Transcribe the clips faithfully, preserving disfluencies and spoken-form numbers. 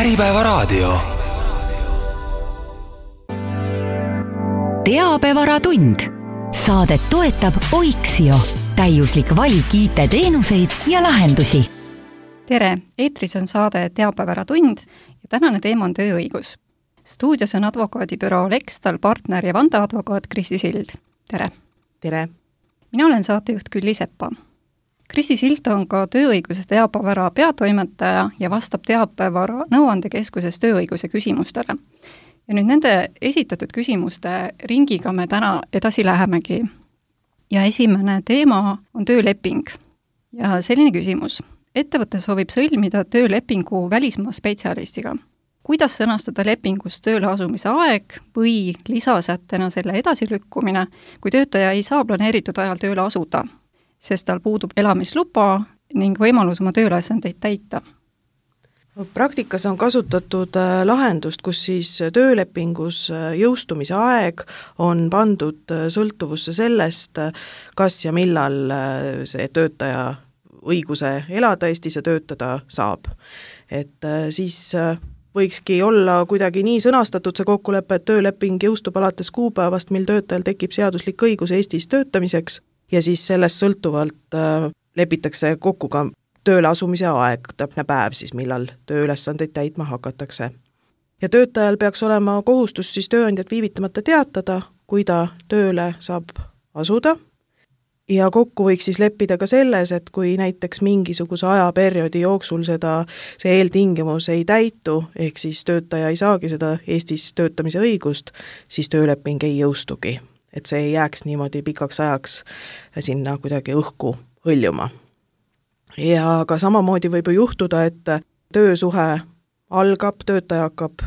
Äripäevaraadio. Teabevaratund. Saadet toetab Oiksio. Täiuslik valik I T-teenuseid ja lahendusi. Tere, eetris on saade Teabevaratund ja tänane teema on tööõigus. Stuudios on advokaadibüroo Lextal partner ja vandeadvokaat Kristi Sild. Tere! Tere! Mina olen saatejuht Külli Sepa. Kristi Sild on ka tööõiguse teabevara peatoimetaja ja vastab teabevara nõuandekeskuses tööõiguse küsimustele. Ja nüüd nende esitatud küsimuste ringiga me täna edasi lähemegi. Ja esimene teema on tööleping. Ja selline küsimus. Ettevõte soovib sõlmida töölepingu välismaa spetsialistiga. Kuidas sõnastada lepingus tööle asumise aeg või lisasättena selle edasilükkumine, kui töötaja ei saa planeeritud ajal tööle asuda, sest tal puudub elamisluba ning võimalus oma tööülesandeid täita? Praktikas on kasutatud lahendust, kus siis töölepingus jõustumise aeg on pandud sõltuvusse sellest, kas ja millal see töötaja õiguse elada Eestis ja töötada saab. Et siis võikski olla kuidagi nii sõnastatud see kokkulepe, et tööleping jõustub alates kuupäevast, mil töötajal tekib seaduslik õigus Eestis töötamiseks ja siis sellest sõltuvalt lepitakse kokku ka tööle asumise aeg, täpne päev siis, millal tööülesandeid täitma hakatakse. Ja töötajal peaks olema kohustus siis tööandjat viivitamata teatada, kui ta tööle saab asuda. Ja kokku võiks siis leppida ka selles, et kui näiteks mingisuguse ajaperioodi jooksul seda, see eeltingimus ei täitu, ehk siis töötaja ei saagi seda Eestis töötamise õigust, siis tööleping ei jõustugi. Et see ei jääks niimoodi pikaks ajaks sinna kuidagi õhku hõljuma. Ja ka samamoodi võib ju juhtuda, et töösuhe algab, töötaja hakkab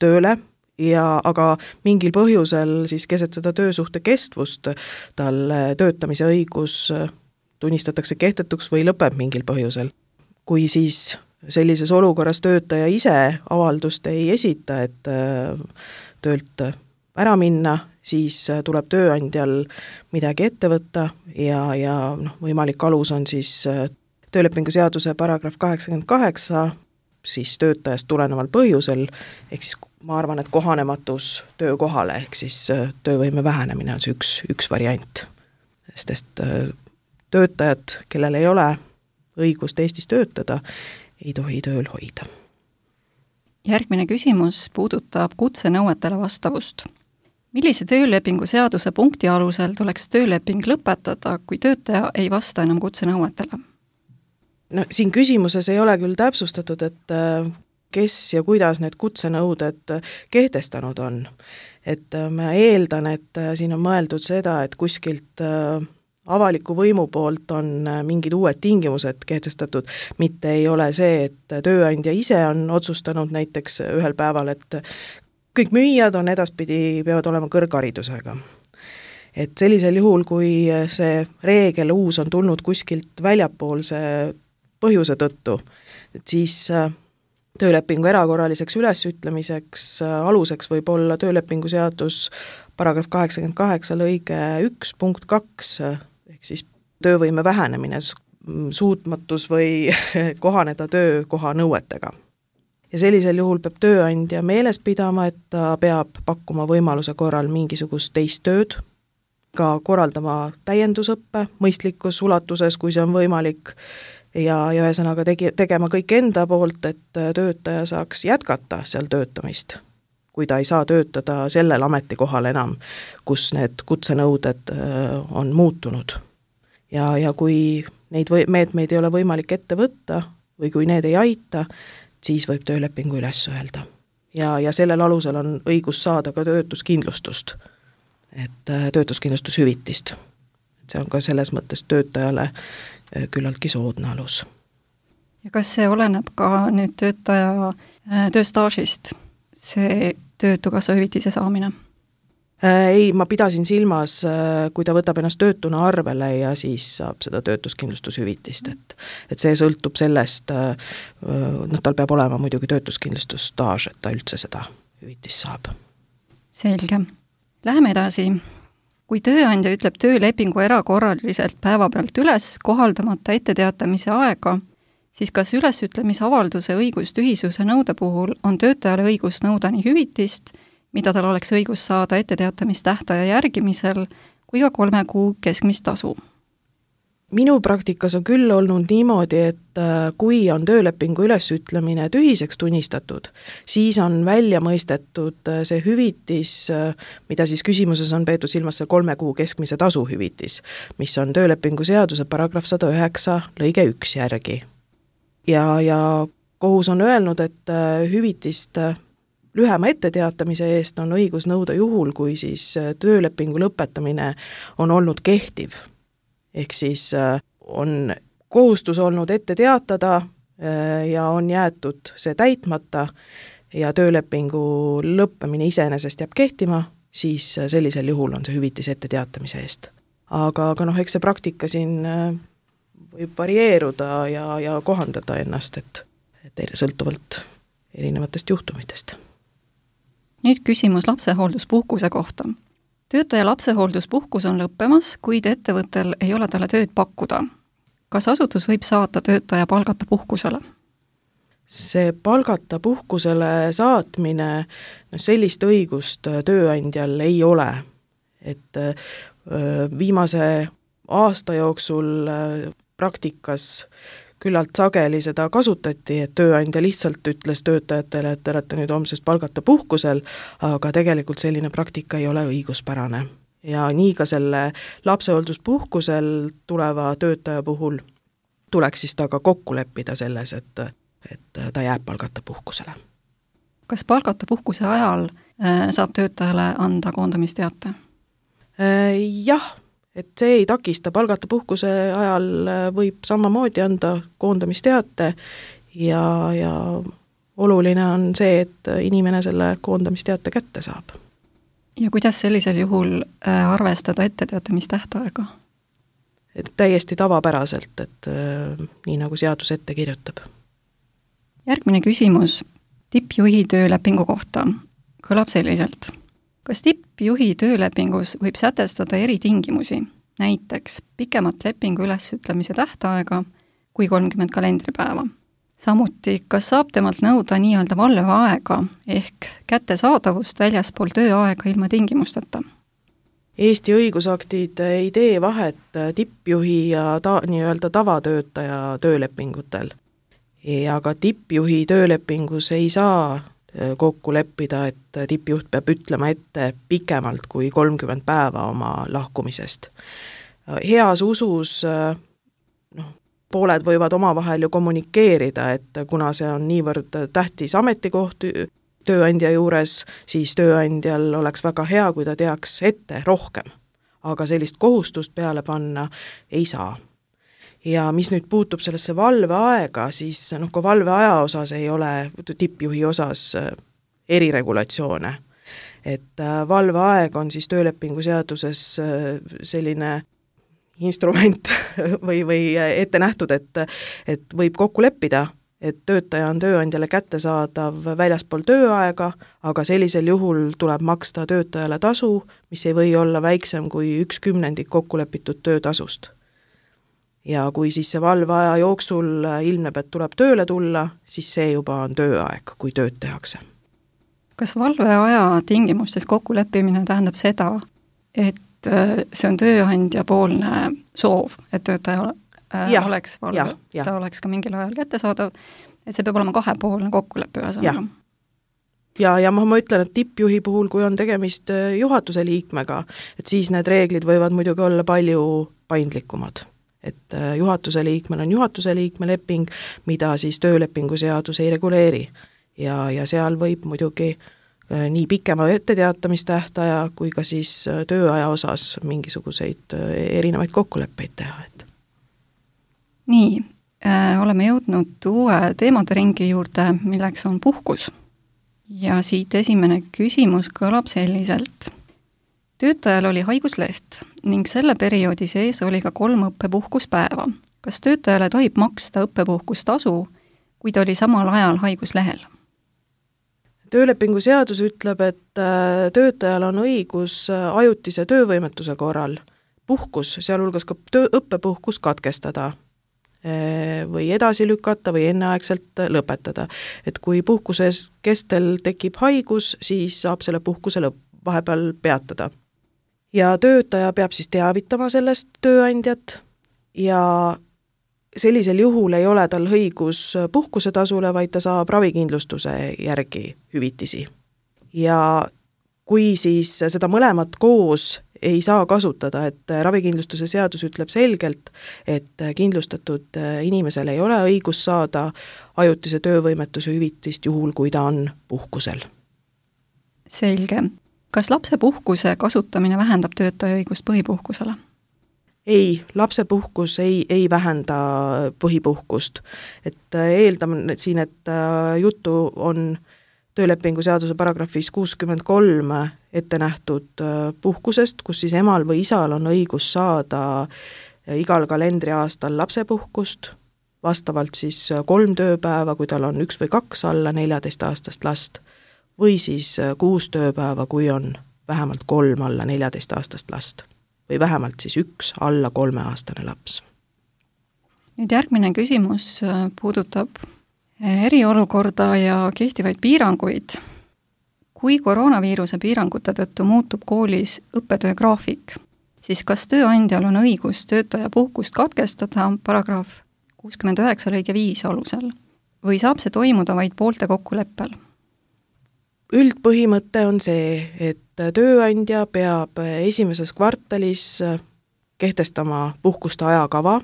tööle, ja aga mingil põhjusel siis keset seda töösuhte kestvust tal töötamise õigus tunnistatakse kehtetuks või lõpeb mingil põhjusel. Kui siis sellises olukorras töötaja ise avaldust ei esita, et töölt ära minna, siis tuleb tööandjal midagi ette võtta ja, ja noh, võimalik alus on siis töölepingu seaduse paragrahv kaheksakümmend kaheksa, siis töötajast tuleneval põhjusel, ehk siis ma arvan, et kohanematus töökohale, ehk siis töövõime vähenemine on see üks, üks variant. Sest töötajad, kellel ei ole õigust Eestis töötada, ei tohi tööl hoida. Järgmine küsimus puudutab kutsenõuetele vastavust. Millise töölepingu seaduse punkti alusel tuleks tööleping lõpetada, kui töötaja ei vasta enam kutsenõuetele? No, siin küsimuses ei ole küll täpsustatud, et kes ja kuidas need kutsenõuded kehtestanud on. Et ma eeldan, et siin on mõeldud seda, et kuskilt avaliku võimu poolt on mingid uued tingimused kehtestatud, mitte ei ole see, et tööandja ise on otsustanud näiteks ühel päeval, et kõik müüjad on edaspidi, peavad olema kõrgharidusega. Et sellisel juhul, kui see reegel uus on tulnud kuskilt väljapoolse põhjuse tõttu, et siis töölepingu erakorraliseks ülesütlemiseks aluseks võib olla töölepingu seadus paragrahv kaheksakümmend kaheksa lõige üks punkt kaks, ehk siis töövõime vähenemine, suutmatus või kohaneda töökoha nõuetega. Ja sellisel juhul peab tööandja meeles pidama, et ta peab pakkuma võimaluse korral mingisugust teist tööd, ka korraldama täiendusõppe mõistlikus ulatuses, kui see on võimalik, ja, ja ühesõnaga tegi, tegema kõik enda poolt, et töötaja saaks jätkata seal töötamist, kui ta ei saa töötada sellel ametikohal enam, kus need kutsenõuded on muutunud. Ja, ja kui neid või, meetmeid ei ole võimalik ette võtta või kui need ei aita, siis võib töölepingu üles öelda. Ja, ja sellel alusel on õigus saada ka töötuskindlustust, et töötuskindlustushüvitist. See on ka selles mõttes töötajale küllaltki soodne alus. Ja kas see oleneb ka nüüd töötaja tööstaažist, see töötukassa hüvitise saamine? Ei, ma pidasin silmas, kui ta võtab ennast töötuna arvele ja siis saab seda töötuskindlustushüvitist, et, et see sõltub sellest, noh, tal peab olema muidugi töötuskindlustusstaaž, et ta üldse seda hüvitist saab. Selge. Läheme edasi. Kui tööandja ütleb töölepingu erakorraliselt päeva pealt üles kohaldamata etteteatamise aega, siis kas ülesütlemisavalduse õigustühisuse nõude puhul on töötajale õigus nõuda nii hüvitist, mida tal oleks õigus saada etteteatamistähtaja järgimisel, kui ka kolme kuu keskmist tasu? Minu praktikas on küll olnud niimoodi, et kui on töölepingu ülesütlemine tühiseks tunnistatud, siis on välja mõistetud see hüvitis, mida siis küsimuses on peetud silmas see kolme kuu keskmise tasu hüvitis, mis on töölepingu seaduse paragrahv sada üheksa lõige üks järgi. Ja, ja kohus on öelnud, et hüvitist lühema etteteatamise eest on õigus nõuda juhul, kui siis töölepingu lõpetamine on olnud kehtiv. Ehk siis on kohustus olnud ette teatada ja on jäetud see täitmata ja töölepingu lõppemine iseenesest jääb kehtima, siis sellisel juhul on see hüvitis ette teatamise eest. Aga, aga noh, eks see praktika siin võib varieeruda ja, ja kohandada ennast, et, et sõltuvalt erinevatest juhtumitest. Nüüd küsimus lapsehoolduspuhkuse kohta. Töötaja lapsehoolduspuhkus on lõppemas, kuid ettevõttel ei ole talle tööd pakkuda. Kas asutus võib saata töötaja palgata puhkusele? See palgata puhkusele saatmine, no sellist õigust tööandjal ei ole. Et viimase aasta jooksul praktikas küllalt sageli seda kasutati, et tööandja lihtsalt ütles töötajatele, et te olete nüüd homsest palgata puhkusel, aga tegelikult selline praktika ei ole õiguspärane. Ja nii ka selle lapsehoolduspuhkusel tuleva töötaja puhul tuleks siis taga kokku leppida selles, et, et ta jääb palgata puhkusele. Kas palgata puhkuse ajal saab töötajale anda koondamisteate? Jah. Et see ei takista, palgata puhkuse ajal võib samamoodi anda koondamisteate ja, ja oluline on see, et inimene selle koondamisteate kätte saab. Ja kuidas sellisel juhul arvestada etteteatamistähtaega? Et täiesti tavapäraselt, et nii nagu seadus ette kirjutab. Järgmine küsimus tippjuhi töölepingu kohta kõlab selliselt. Kas tippjuhi töölepingus võib sätestada eritingimusi, näiteks pikemat lepingu ülesütlemise tähtaega kui kolmkümmend kalendripäeva? Samuti, kas saab temalt nõuda nii-öelda valveaega ehk kättesaadavust väljaspool tööaega ilma tingimusteta? Eesti õigusaktid ei tee vahet tippjuhi ja ta, nii-öelda tavatöötaja töölepingutel. Ja ka tippjuhi töölepingus ei saa kokku leppida, et tippjuht peab ütlema ette pikemalt kui kolmkümmend päeva oma lahkumisest. Heas usus noh, pooled võivad omavahel ju kommunikeerida, et kuna see on niivõrd tähtis ametikoht tööandja juures, siis tööandjal oleks väga hea, kui ta teaks ette rohkem. Aga sellist kohustust peale panna ei saa. Ja mis nüüd puutub sellesse valveaega, siis noh, kui valveaja osas ei ole tippjuhi osas eriregulatsioone. Et valveaeg on siis töölepingu seaduses selline instrument või, või ette nähtud, et, et võib kokku leppida, et töötaja on tööandjale kättesaadav väljaspool tööaega, aga sellisel juhul tuleb maksta töötajale tasu, mis ei või olla väiksem kui üks kümnendik kokkulepitud töötasust. Ja kui siis see valveaja jooksul ilmneb, et tuleb tööle tulla, siis see juba on tööaeg, kui tööd tehakse. Kas valveaja tingimustes kokkuleppimine tähendab seda, et see on tööandja poolne soov, et töötaja ja, oleks valve, ja, ta oleks ka mingil ajal kättesaadav, et see peab olema kahepoolne kokkuleppe ühesõnaga? Ja, ja ma, ma ütlen, et tippjuhi puhul, kui on tegemist juhatuse liikmega, et siis need reeglid võivad muidugi olla palju paindlikumad. Et juhatuse liikmel on juhatuse liikme leping, mida siis töölepingu seadus ei reguleeri. Ja, ja seal võib muidugi nii pikema etteteatamistähtaja kui ka siis tööaja osas mingisuguseid erinevaid kokkuleppeid teha. Et. Nii, äh, oleme jõudnud uue teemade ringi juurde, milleks on puhkus. Ja siit esimene küsimus kõlab selliselt. Töötajal oli haigusleht ning selle perioodi sees oli ka kolm õppepuhkuspäeva. Kas töötajale tohib maksta õppepuhkustasu, kui ta oli samal ajal haiguslehel? Töölepingu seadus ütleb, et töötajal on õigus ajutise töövõimetuse korral puhkus, sealhulgas ka töö, õppepuhkus katkestada. või edasi lükata või enneaegselt lõpetada. Et kui puhkuses kestel tekib haigus, siis saab selle puhkuse lõpp vahepeal peatada. Ja töötaja peab siis teavitama sellest tööandjat ja sellisel juhul ei ole tal õigus puhkusetasule, vaid ta saab ravikindlustuse järgi hüvitisi. Ja kui siis seda mõlemat koos ei saa kasutada, et ravikindlustuse seadus ütleb selgelt, et kindlustatud inimesel ei ole õigus saada ajutise töövõimetuse hüvitist juhul, kui ta on puhkusel. Selge. Kas lapsepuhkuse kasutamine vähendab töötaja õigust põhipuhkusele? Ei, lapsepuhkus ei, ei vähenda põhipuhkust. Et eeldame siin, et juttu on töölepingu seaduse paragrahvis kuuskümmend kolm ette nähtud puhkusest, kus siis emal või isal on õigus saada igal kalendriaastal lapsepuhkust, vastavalt siis kolm tööpäeva, kui tal on üks või kaks alla neljateistaastast last, või siis kuus tööpäeva, kui on vähemalt kolm alla neljateistaastast last, või vähemalt siis üks alla kolmeaastane laps. Nüüd järgmine küsimus puudutab eriolukorda ja kehtivaid piiranguid. Kui koroonaviiruse piirangute tõttu muutub koolis õppetöö graafik, siis kas tööandjal on õigus töötaja puhkust katkestada paragrahv kuuskümmend üheksa lõige viis alusel või saab see toimuda vaid poolte kokkuleppel? Üldpõhimõte on see, et tööandja peab esimeses kvartalis kehtestama puhkuste ajakava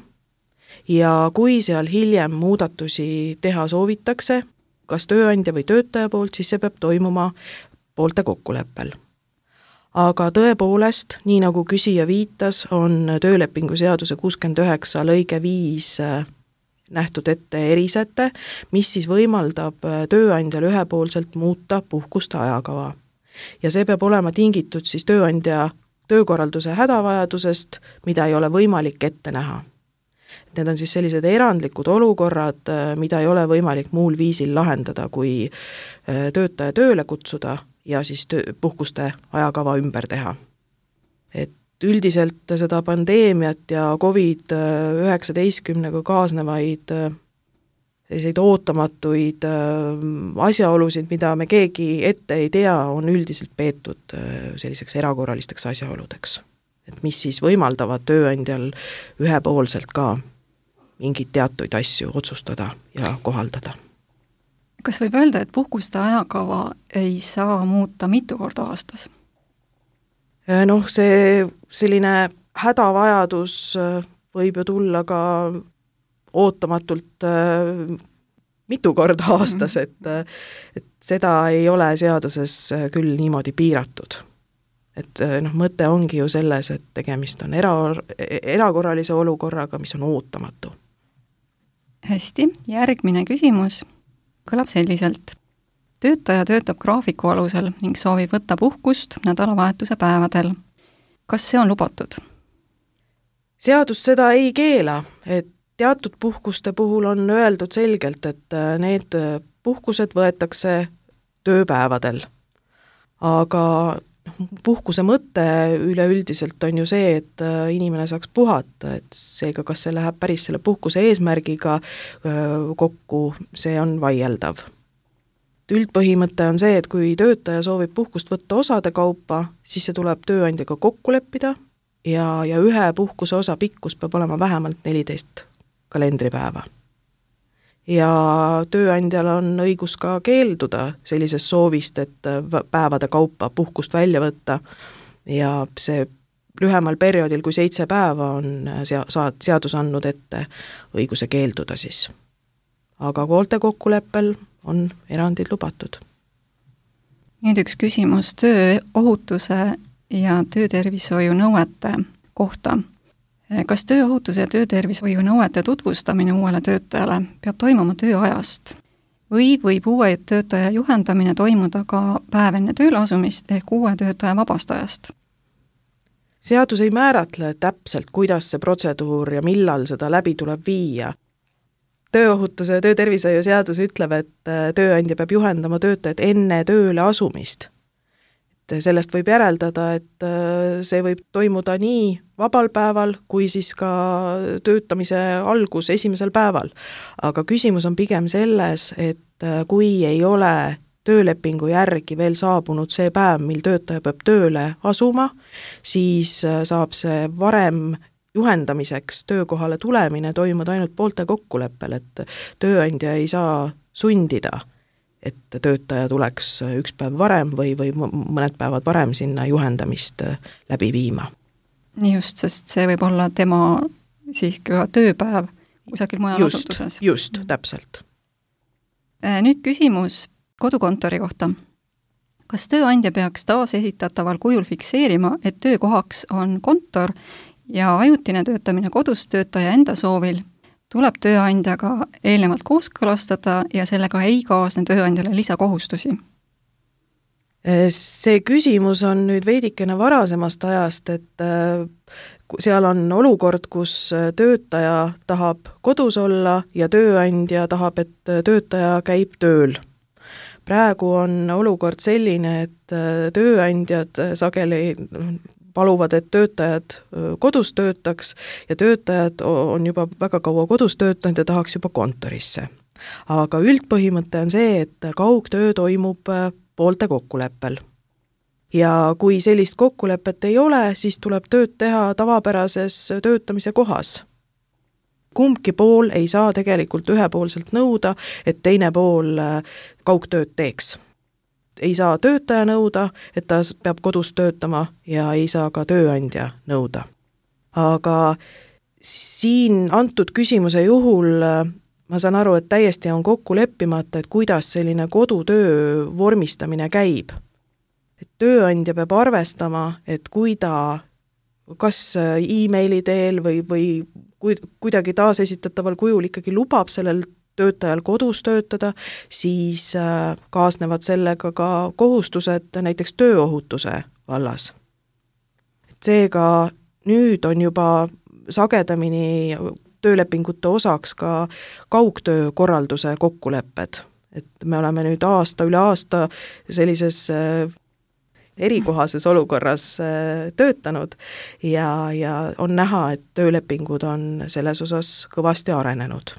ja kui seal hiljem muudatusi teha soovitakse, kas tööandja või töötaja poolt, siis see peab toimuma poolte kokkuleppel. Aga tõepoolest, nii nagu küsija viitas, on töölepingu seaduse kuuskümmend üheksa lõige viis nähtud ette erisäte, mis siis võimaldab tööandjal ühepoolselt muuta puhkuste ajakava. Ja see peab olema tingitud siis tööandja töökorralduse hädavajadusest, mida ei ole võimalik ette näha. Need on siis sellised erandlikud olukorrad, mida ei ole võimalik muul viisil lahendada, kui töötaja tööle kutsuda ja siis töö, puhkuste ajakava ümber teha. Et üldiselt seda pandeemiat ja covid üheksateistkümnega kaasnevaid selliseid ootamatuid asjaolusid, mida me keegi ette ei tea, on üldiselt peetud selliseks erakorralisteks asjaoludeks. Et mis siis võimaldavad tööandjal ühepoolselt ka mingid teatuid asju otsustada ja kohaldada. Kas võib öelda, et puhkuste ajakava ei saa muuta mitu korda aastas? Noh, see selline hädavajadus võib ju tulla ka ootamatult mitu korda aastas, et, et seda ei ole seaduses küll niimoodi piiratud. Et noh, mõte ongi ju selles, et tegemist on era, erakorralise olukorraga, mis on ootamatu. Hästi, järgmine küsimus kõlab selliselt. Töötaja töötab graafiku alusel ning soovib võtta puhkust nädalavahetuse päevadel. Kas see on lubatud? Seadus seda ei keela, et teatud puhkuste puhul on öeldud selgelt, et need puhkused võetakse tööpäevadel. Aga puhkuse mõte üleüldiselt on ju see, et inimene saaks puhata, et seega kas see läheb päris selle puhkuse eesmärgiga kokku, see on vaieldav. Üldpõhimõte on see, et kui töötaja soovib puhkust võtta osade kaupa, siis see tuleb tööandjaga kokku leppida ja, ja ühe puhkuse osa pikkus peab olema vähemalt neliteist kalendripäeva. Ja tööandjal on õigus ka keelduda sellisest soovist, et päevade kaupa puhkust välja võtta ja see lühemal perioodil kui seitse päeva on seadus andnud ette õiguse keelduda siis. Aga poolte kokkuleppel on erandid lubatud. Nüüd üks küsimus tööohutuse ja töötervishoiu nõuete kohta. Kas tööohutuse ja töötervishoiu nõuete tutvustamine uuele töötajale peab toimuma tööajast või võib uue töötaja juhendamine toimuda ka päev enne tööle asumist ehk uue töötaja vabastajast? Seadus ei määratle täpselt, kuidas see protseduur ja millal seda läbi tuleb viia. Tööohutuse ja töötervishoiu seadus ütleb, et tööandja peab juhendama töötajat enne tööle asumist. sellest võib järeldada, et see võib toimuda nii vabal päeval, kui siis ka töötamise algus esimesel päeval. Aga küsimus on pigem selles, et kui ei ole töölepingu järgi veel saabunud see päev, mil töötaja peab tööle asuma, siis saab see varem juhendamiseks töökohale tulemine toimuda ainult poolte kokkuleppel, et tööandja ei saa sundida, et töötaja tuleks üks päev varem või, või mõned päevad varem sinna juhendamist läbi viima. Nii just, sest see võib olla tema siis ka tööpäev kusagil mujal just, asutuses. Just, täpselt. Nüüd küsimus kodukontori kohta. Kas tööandja peaks taas esitataval kujul fikseerima, et töökohaks on kontor ja ajutine töötamine kodus töötaja enda soovil tuleb tööandjaga eelnevalt kooskõlastada ja sellega ei kaasne tööandjale lisakohustusi? See küsimus on nüüd veidikene varasemast ajast, et seal on olukord, kus töötaja tahab kodus olla ja tööandja tahab, et töötaja käib tööl. Praegu on olukord selline, et tööandjad sageli paluvad, et töötajad kodus töötaks ja töötajad on juba väga kaua kodus töötanud ja tahaks juba kontorisse. Aga üldpõhimõte on see, et kaugtöö toimub poolte kokkuleppel. Ja kui sellist kokkulepet ei ole, siis tuleb tööd teha tavapärases töötamise kohas. Kumbki pool ei saa tegelikult ühepoolselt nõuda, et teine pool kaugtööd teeks. Ei saa töötaja nõuda, et ta peab kodus töötama ja ei saa ka tööandja nõuda. Aga siin antud küsimuse juhul ma saan aru, et täiesti on kokku leppimata, et kuidas selline kodutöö vormistamine käib. Et tööandja peab arvestama, et kui ta kas e-maili teel või, või kuidagi taasesitataval kujul ikkagi lubab sellel töötajal kodus töötada, siis kaasnevad sellega ka kohustused näiteks tööohutuse vallas. Seega nüüd on juba sagedamini töölepingute osaks ka kaugtöö korralduse kokkulepped. Et me oleme nüüd aasta üle aasta sellises erikohases olukorras töötanud ja, ja on näha, et töölepingud on selles osas kõvasti arenenud.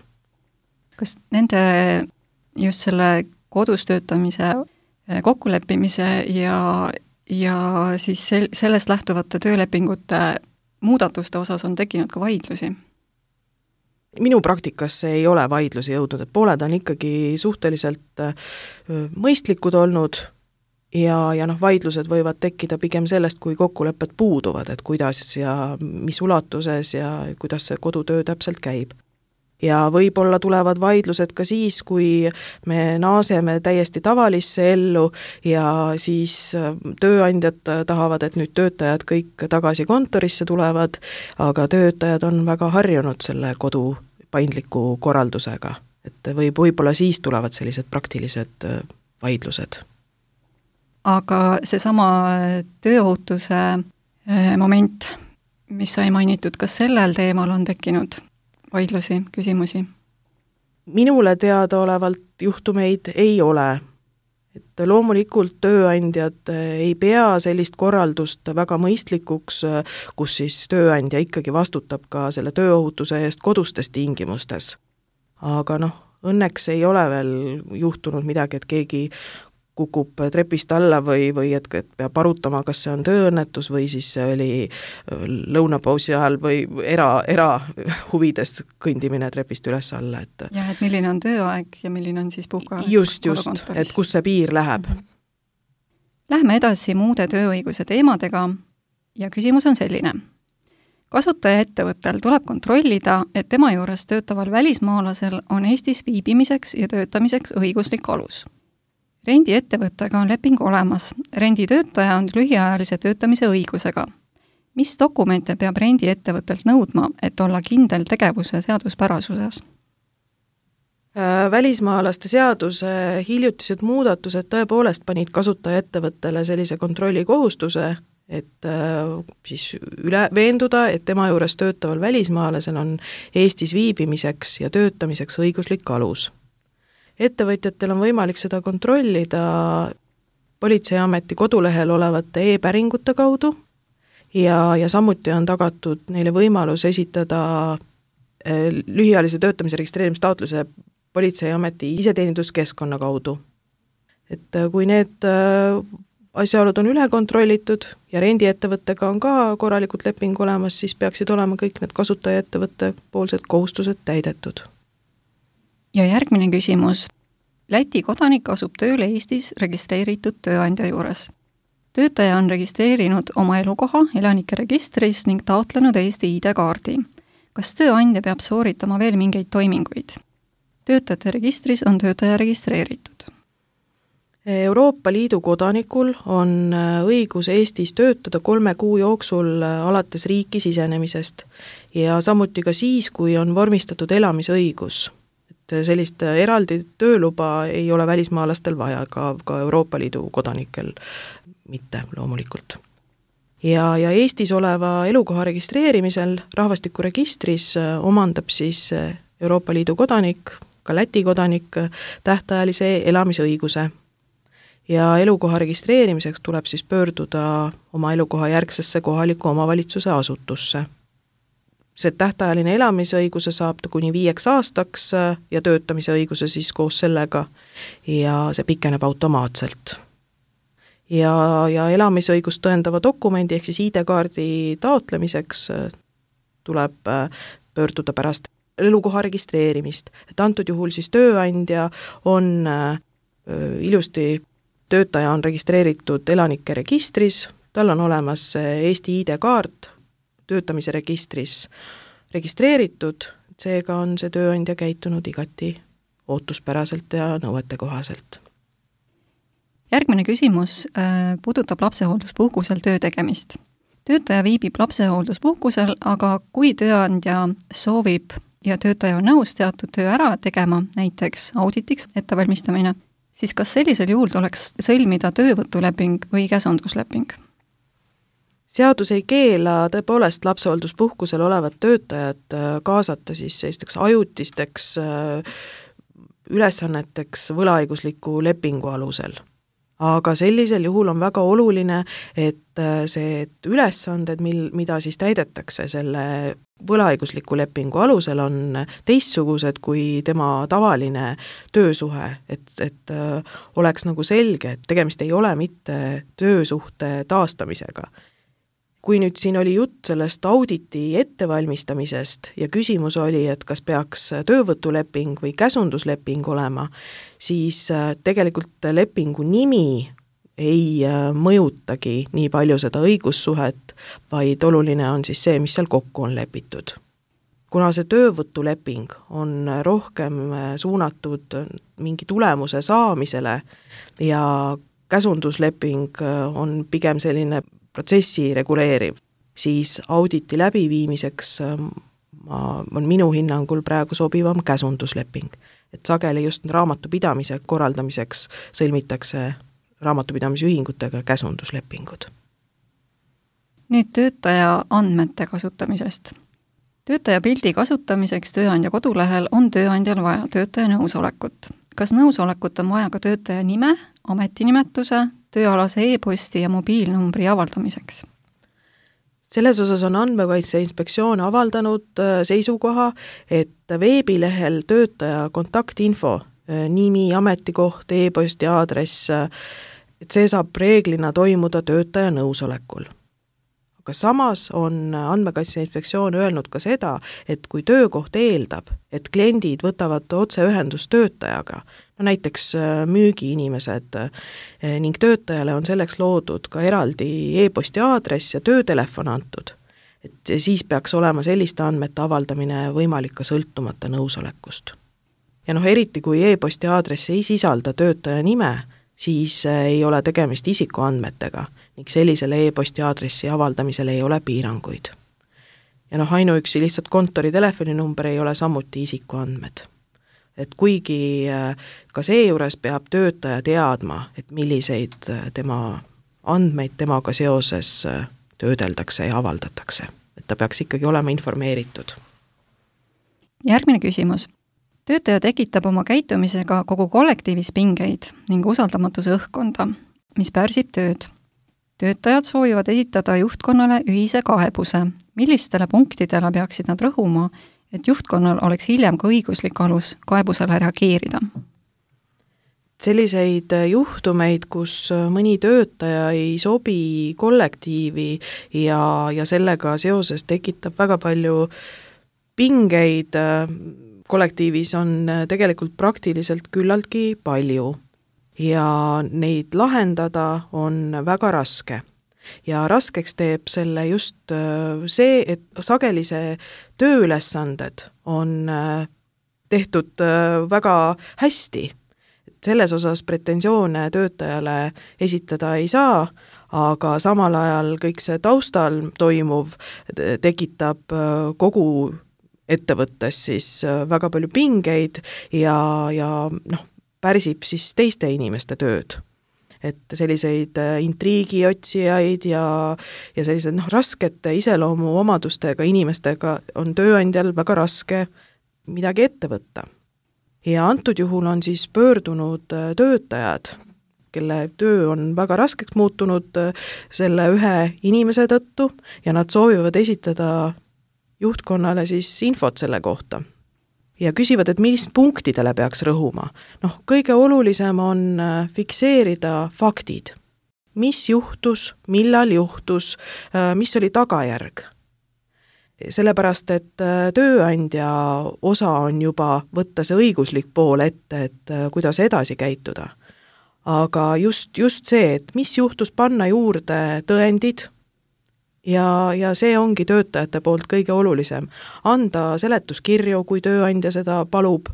Kas nende just selle kodus töötamise kokkuleppimise ja, ja siis sel, sellest lähtuvate töölepingute muudatuste osas on tekkinud ka vaidlusi? Minu praktikasse ei ole vaidlusi jõudnud, et pooled on ikkagi suhteliselt mõistlikud olnud ja, ja noh, vaidlused võivad tekkida pigem sellest, kui kokkulepped puuduvad, et kuidas ja mis ulatuses ja kuidas see kodutöö täpselt käib. Ja võib-olla tulevad vaidlused ka siis, kui me naaseme täiesti tavalisse ellu ja siis tööandjad tahavad, et nüüd töötajad kõik tagasi kontorisse tulevad, aga töötajad on väga harjunud selle kodu paindliku korraldusega. Et võib, võib-olla siis tulevad sellised praktilised vaidlused. Aga seesama tööohutuse moment, mis sai mainitud, kas sellel teemal on tekkinud vaidlusi, küsimusi? Minule teadaolevalt juhtumeid ei ole. Et loomulikult tööandjad ei pea sellist korraldust väga mõistlikuks, kus siis tööandja ikkagi vastutab ka selle tööohutuse eest kodustes tingimustes. Aga noh, õnneks ei ole veel juhtunud midagi, et keegi kukub trepist alla või, või et, et peab arutama, kas see on tööõnnetus või siis see oli lõunapausi ajal või era, era huvides kõndimine trepist üles alla. Et jah, et milline on tööaeg ja milline on siis puhka just, just, et kus see piir läheb. Lähme edasi muude tööõiguse teemadega ja küsimus on selline. Kasutaja ettevõttel tuleb kontrollida, et tema juures töötaval välismaalasel on Eestis viibimiseks ja töötamiseks õiguslik alus. Rendiettevõttega on leping olemas. Renditöötaja on lühiajalise töötamise õigusega. Mis dokumente peab rendiettevõttelt nõudma, et olla kindel tegevuse seaduspärasuses? Välismaalaste seaduse hiljutised muudatused tõepoolest panid kasutaja ettevõttele sellise kontrolli kohustuse, et siis üle veenduda, et tema juures töötaval välismaalasel on Eestis viibimiseks ja töötamiseks õiguslik alus. Ettevõtjatel on võimalik seda kontrollida Politseiameti kodulehel olevate e-päringute kaudu ja, ja samuti on tagatud neile võimalus esitada lühiajalise töötamise registreerimistaotluse Politseiameti iseteeninduskeskkonna kaudu. Et kui need asjaolud on üle kontrollitud ja rendiettevõttega on ka korralikult leping olemas, siis peaksid olema kõik need kasutajaettevõtte poolsed kohustused täidetud. Ja järgmine küsimus. Läti kodanik asub tööle Eestis registreeritud tööandja juures. Töötaja on registreerinud oma elukoha elanike registris ning taotlenud Eesti I D-kaardi. Kas tööandja peab sooritama veel mingeid toiminguid? Töötajate registris on töötaja registreeritud. Euroopa Liidu kodanikul on õigus Eestis töötada kolme kuu jooksul alates riiki sisenemisest ja samuti ka siis, kui on vormistatud elamisõigus. Et sellist eraldi tööluba ei ole välismaalastel vaja, ka, ka Euroopa Liidu kodanikel mitte loomulikult. Ja, ja Eestis oleva elukoha registreerimisel rahvastikuregistris omandab siis Euroopa Liidu kodanik, ka Läti kodanik, tähtajalise elamisõiguse. Ja elukoha registreerimiseks tuleb siis pöörduda oma elukoha järgsesse kohaliku omavalitsuse asutusse. See tähtajaline elamisõiguse saab ta kuni viieks aastaks ja töötamise õiguse siis koos sellega ja see pikeneb automaatselt. Ja, ja elamisõigust tõendava dokumendi ehk siis I D-kaardi taotlemiseks tuleb pöörduda pärast elukoha registreerimist. Et antud juhul siis tööandja on ilusti, töötaja on registreeritud elanike registris, tal on olemas Eesti I D-kaart töötamise registris registreeritud, seega on see tööandja käitunud igati ootuspäraselt ja nõuete kohaselt. Järgmine küsimus puudutab lapsehoolduspuhkusel töö tegemist. Töötaja viibib lapsehoolduspuhkusel, aga kui tööandja soovib ja töötaja on nõus teatud töö ära tegema, näiteks auditiks ettevalmistamine, siis kas sellisel juhul tuleks sõlmida töövõtuleping või käsundusleping? Seadus ei keela tõepoolest lapsehoolduspuhkusel olevat töötajat kaasata siis sellisteks ajutisteks ülesanneteks võlaõigusliku lepingu alusel. Aga sellisel juhul on väga oluline, et see et ülesanded, mil, mida siis täidetakse selle võlaõigusliku lepingu alusel, on teistsugused kui tema tavaline töösuhe, et, et oleks nagu selge, et tegemist ei ole mitte töösuhte taastamisega. Kui nüüd siin oli jutt sellest auditi ettevalmistamisest ja küsimus oli, et kas peaks töövõtuleping või käsundusleping olema, siis tegelikult lepingu nimi ei mõjutagi nii palju seda õigussuhet, vaid oluline on siis see, mis seal kokku on lepitud. Kuna see töövõtuleping on rohkem suunatud mingi tulemuse saamisele ja käsundusleping on pigem selline protsessi reguleeriv, siis auditi läbiviimiseks ma, on minu hinnangul praegu sobivam käsundusleping. Et sageli just raamatupidamise korraldamiseks sõlmitakse raamatupidamisühingutega käsunduslepingud. Nüüd töötaja andmete kasutamisest. Töötaja pildi kasutamiseks tööandja kodulehel on tööandjal vaja töötaja nõusolekut. Kas nõusolekut on vaja ka töötaja nime, ametinimetuse, tööalase e-posti ja mobiilnumbri avaldamiseks? Selles osas on Andmekaitse Inspektsioon avaldanud seisukoha, et veebilehel töötaja kontaktinfo, nimi, ametikoht, e-posti aadress, et see saab reeglina toimuda töötaja nõusolekul. Aga samas on Andmekaitse Inspektsioon öelnud ka seda, et kui töökoht eeldab, et kliendid võtavad otseühendust töötajaga, no näiteks müügiinimesed ning töötajale on selleks loodud ka eraldi e-posti aadress ja töötelefon antud, et siis peaks olema selliste andmete avaldamine võimalik ka sõltumata nõusolekust. Ja noh, eriti kui e-posti aadress ei sisalda töötaja nime, siis ei ole tegemist isikuandmetega ning sellisele e-posti aadressi avaldamisel ei ole piiranguid. Ja noh, ainuüksi lihtsalt kontori telefoninumber ei ole samuti isikuandmed. Et kuigi ka seejuures peab töötaja teadma, et milliseid tema andmeid temaga seoses töödeldakse ja avaldatakse. Et ta peaks ikkagi olema informeeritud. Järgmine küsimus. Töötaja tekitab oma käitumisega kogu kollektiivis pingeid ning usaldamatuse õhkkonda. mis pärsib tööd. Töötajad soovivad esitada juhtkonnale ühise kaebuse. Millistele punktidele peaksid nad rõhuma, et juhtkonnal oleks hiljem ka õiguslik alus kaebusele reageerida? Selliseid juhtumeid, kus mõni töötaja ei sobi kollektiivi ja, ja sellega seoses tekitab väga palju pingeid kollektiivis, on tegelikult praktiliselt küllaltki palju ja neid lahendada on väga raske. Ja raskeks teeb selle just see, et sageli see tööülesanded on tehtud väga hästi. Selles osas pretensioone töötajale esitada ei saa, aga samal ajal kõik see taustal toimuv tekitab kogu ettevõttes siis väga palju pingeid ja, ja noh, pärsib siis teiste inimeste tööd. Et selliseid intriigiotsijaid ja, ja sellised noh, raskete iseloomu omadustega inimestega on tööandjal väga raske midagi ette võtta. Ja antud juhul on siis pöördunud töötajad, kelle töö on väga raskeks muutunud selle ühe inimese tõttu ja nad soovivad esitada juhtkonnale siis infot selle kohta. Ja küsivad, et mis punktidele peaks rõhuma. Noh, kõige olulisem on fikseerida faktid. Mis juhtus, millal juhtus, mis oli tagajärg. Sellepärast, et tööandja osa on juba võtta see õiguslik pool ette, et kuidas edasi käituda. Aga just, just see, et mis juhtus, panna juurde tõendid ja, ja see ongi töötajate poolt kõige olulisem. Anda seletuskirju, kui tööandja seda palub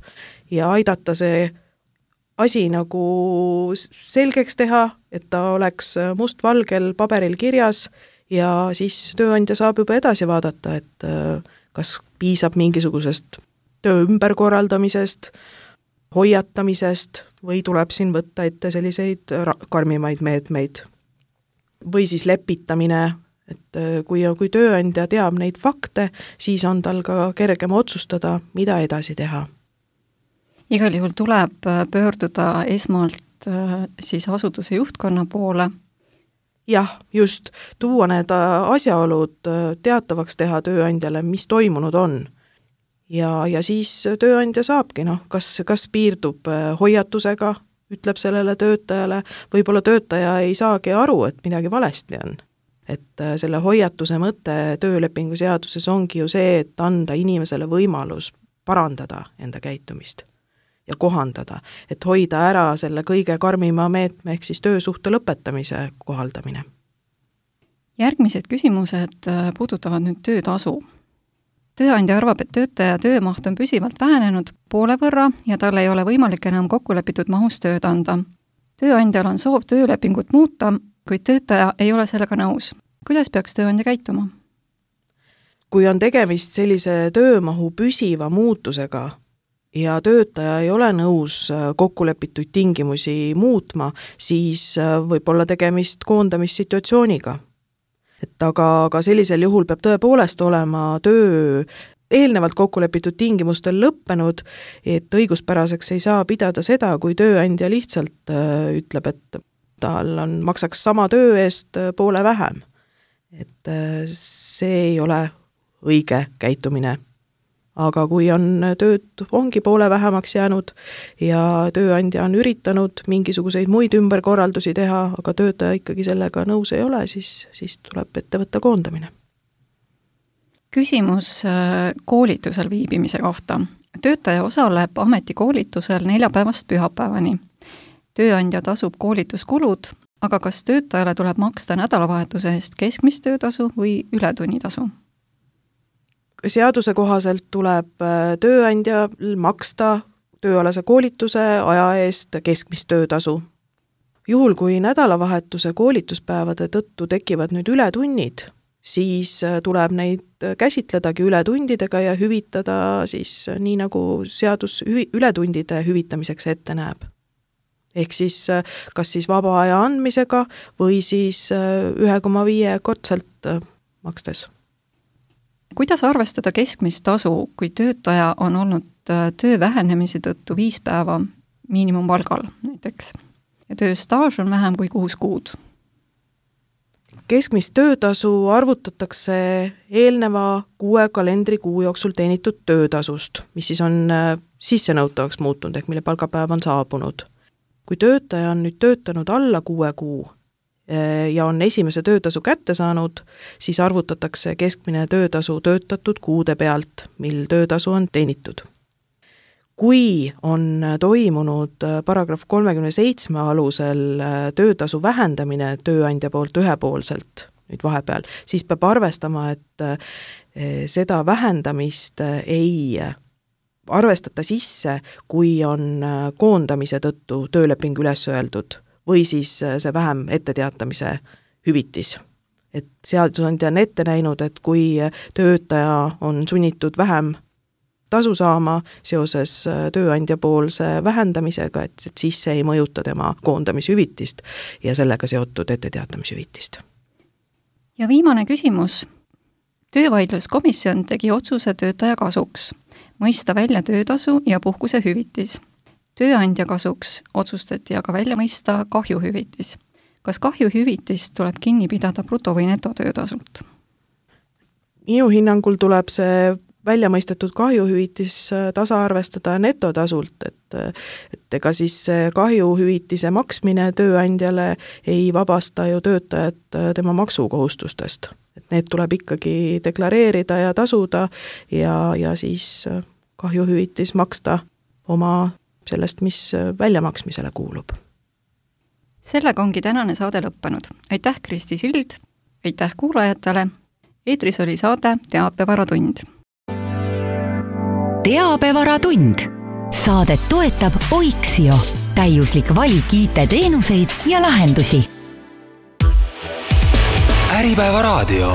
ja aidata see asi nagu selgeks teha, et ta oleks mustvalgel paberil kirjas ja siis tööandja saab juba edasi vaadata, et kas piisab mingisugusest töö ümberkorraldamisest, hoiatamisest või tuleb siin võtta ette selliseid karmimaid meetmeid. Või siis lepitamine, et kui, kui tööandja teab neid fakte, siis on tal ka kergem otsustada, mida edasi teha. Igal juhul tuleb pöörduda esmalt siis asutuse juhtkonna poole. Jah, just tuua need asjaolud teatavaks teha tööandjale, mis toimunud on. Ja, ja siis tööandja saabki, noh, kas, kas piirdub hoiatusega, ütleb sellele töötajale, võib-olla töötaja ei saagi aru, et midagi valesti on. Et selle hoiatuse mõte töölepingu seaduses ongi ju see, et anda inimesele võimalus parandada enda käitumist ja kohandada, et hoida ära selle kõige karmima meetme ehk siis töösuhte lõpetamise kohaldamine. Järgmised küsimused puudutavad nüüd töötasu. Tööandja arvab, et töötaja töömaht on püsivalt vähenenud poole võrra ja tal ei ole võimalik enam kokkulepitud mahus tööd anda. Tööandjal on soov töölepingut muuta, kuid töötaja ei ole sellega nõus. Kuidas peaks tööandja käituma? Kui on tegemist sellise töömahu püsiva muutusega, ja töötaja ei ole nõus kokkulepituid tingimusi muutma, siis võib olla tegemist koondamissituatsiooniga. Et aga, aga sellisel juhul peab tõepoolest olema töö eelnevalt kokkulepitud tingimustel lõppenud, et õiguspäraseks ei saa pidada seda, kui tööandja lihtsalt ütleb, et tal on, maksaks sama töö eest poole vähem. Et see ei ole õige käitumine. Aga kui on tööd ongi poole vähemaks jäänud ja tööandja on üritanud mingisuguseid muid ümberkorraldusi teha, aga töötaja ikkagi sellega nõus ei ole, siis, siis tuleb ette võtta koondamine. Küsimus koolitusel viibimise kohta. Töötaja osaleb ametikoolitusel neljapäevast pühapäevani. Tööandja tasub koolituskulud, aga kas töötajale tuleb maksta nädalavahetuse eest keskmist töötasu või ületunnitasu? Seaduse kohaselt tuleb tööandja maksta tööalase koolituse aja eest keskmist töötasu. Juhul, kui nädalavahetuse koolituspäevade tõttu tekivad nüüd ületunnid, siis tuleb neid käsitledagi ületundidega ja hüvitada siis nii, nagu seadus hüvi, ületundide hüvitamiseks ette näeb. Ehk siis kas siis vaba aja andmisega või siis ühe koma viie kordselt makstes. Kuidas arvestada keskmist tasu, kui töötaja on olnud töö vähenemise tõttu viis päeva miinimumpalgal näiteks? Ja tööstaaž on vähem kui kuus kuud. Keskmist töötasu arvutatakse eelneva kuue kalendrikuu jooksul teenitud töötasust, mis siis on sissenõutavaks muutunud, ehk mille palgapäev on saabunud. Kui töötaja on nüüd töötanud alla kuue kuu ja on esimese töötasu kätte saanud, siis arvutatakse keskmine töötasu töötatud kuude pealt, mil töötasu on teenitud. Kui on toimunud paragrahv kolmekümne seitsme alusel töötasu vähendamine tööandja poolt ühepoolselt nüüd vahepeal, siis peab arvestama, et seda vähendamist ei arvestata sisse, kui on koondamise tõttu tööleping üles öeldud või siis see vähem etteteatamise hüvitis. Et seadusandja on ette näinud, et kui töötaja on sunnitud vähem tasu saama seoses tööandja poolse vähendamisega, et, et siis see ei mõjuta tema koondamishüvitist ja sellega seotud etteteatamishüvitist. Ja viimane küsimus. Töövaidluskomisjon tegi otsuse töötaja kasuks, mõista välja töötasu ja puhkuse hüvitis. Tööandja kasuks otsustati aga välja mõista kahjuhüvitis. Kas kahjuhüvitis tuleb kinni pidada bruto- või netotöötasult? Minu hinnangul tuleb see välja mõistetud kahjuhüvitis tasa arvestada netotasult, et, et ega siis kahjuhüvitise maksmine tööandjale ei vabasta ju töötajat tema maksukohustustest. Et need tuleb ikkagi deklareerida ja tasuda ja, ja siis kahjuhüvitis maksta oma sellest, mis väljamaksmisele kuulub. Sellega ongi tänane saade lõppenud. Aitäh, Kristi Sild, aitäh kuulajatele. Eetris oli saade Teabevaratund. Teabevaratund. Saadet toetab Oiksio, täiuslik valik I T-teenuseid ja lahendusi. Äripäeva raadio.